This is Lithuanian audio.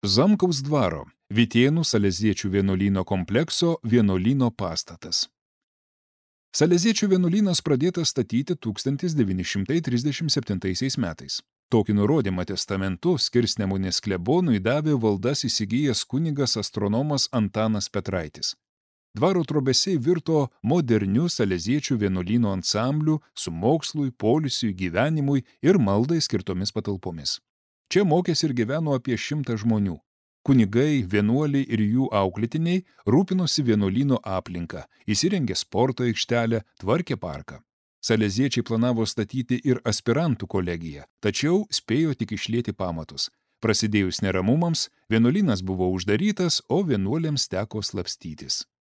Zamkaus dvaro, Vytėnų Saleziečių vienuolyno komplekso vienuolyno pastatas. Saleziečių vienuolynas pradėtas statyti 1937 metais. Tokį nurodymą testamentu Skirsnemunės klebonui davė valdas įsigijęs kunigas astronomas Antanas Petraitis. Dvaro trobesiai virto moderniu Saleziečių vienuolyno ansambliu su mokslui, poilsiui, gyvenimui ir maldai skirtomis patalpomis. Čia mokėsi ir gyveno apie 100 žmonių. Kunigai, vienuoliai ir jų auklėtiniai rūpinosi vienuolyno aplinką, įsirengė sporto aikštelę, tvarkė parką. Saleziečiai planavo statyti ir aspirantų kolegiją, tačiau spėjo tik išlieti pamatus. Prasidėjus neramumams, vienuolynas buvo uždarytas, o vienuoliams teko slapstytis.